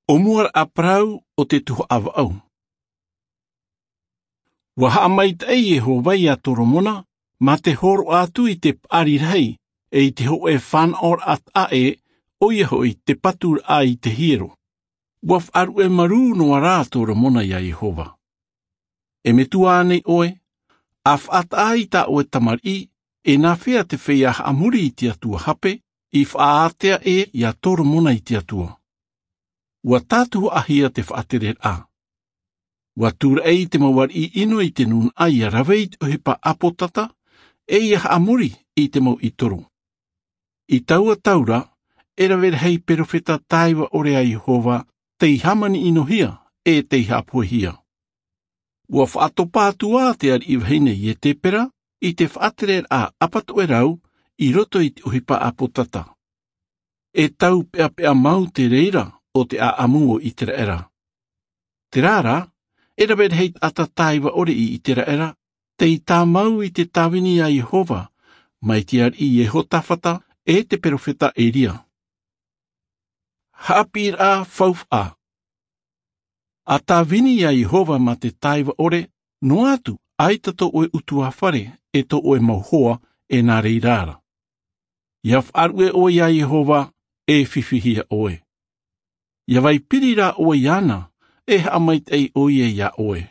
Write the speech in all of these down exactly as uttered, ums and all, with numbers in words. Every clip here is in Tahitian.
ʻO mua ra a parau o te tuhaʻa vaʻu. Ua haʻamaitaʻi iehova iā toromona mā te hōroʻa atu i te paʻari rahi ʻe i te hoʻē fānaʻoraʻa taʻa ʻē, ʻoia hoʻi te paturaʻa i te hiero. Ua faʻaruʻe marū noa rā toromona iā iehova. E metua ānei ʻoe? A faʻataʻa i tā ʻoe tamariʻi, e nāfea te feiā haʻamori i te atua hape i faʻaātea ʻē iā toromona i te atua? Ua tātuhaʻahia te faʻatereraʻa. Ua tūraʻi i te mau ariʻi ʻino i te nunaʻa ia rave i te ʻohipa ʻāpōtata ʻe ia haʻamori i te mau ʻitoro. I taua tau ra, e rave rahi perofeta tāiva ʻore a iehova tei hāmani ʻinohia ʻe tei haʻapohehia. Ua faʻatopa atu ā te ariʻi vahine ietepera i te faʻatereraʻa ʻapatoʻerau i roto i te ʻohipa ʻāpōtata. E taupeʻapeʻa mau te reira o te ʻaʻamu o iseraela. Terā rā, e rave rahi taʻata tāiva ʻore i iseraela tei tāmau i te tāvini a iehova mai te ariʻi iehotafata ʻe te perofeta elia. Haʻapiʻiraʻa faufaʻa. A tāvini iā iehova mā te tāiva ʻore noa atu ʻaita tō ʻoe utuāfare ʻe tō ʻoe mau hoa e nā reira ra. Ia faʻaruʻe ʻoe iā iehova, e fifihia ʻoe. Ia vai piri rā ʻoe iāna, e haʻamaitaʻi ʻoia iā ʻoe.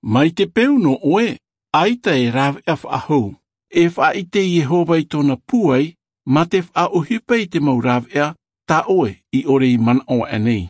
Mai te peu nō ʻoe ʻaita e rāveʻa faʻahou. E faʻaʻite iehova i tōna pūai mā te faʻaʻohipa i te mau rāveʻa tā ʻoe i ʻore i manaʻo aʻenei.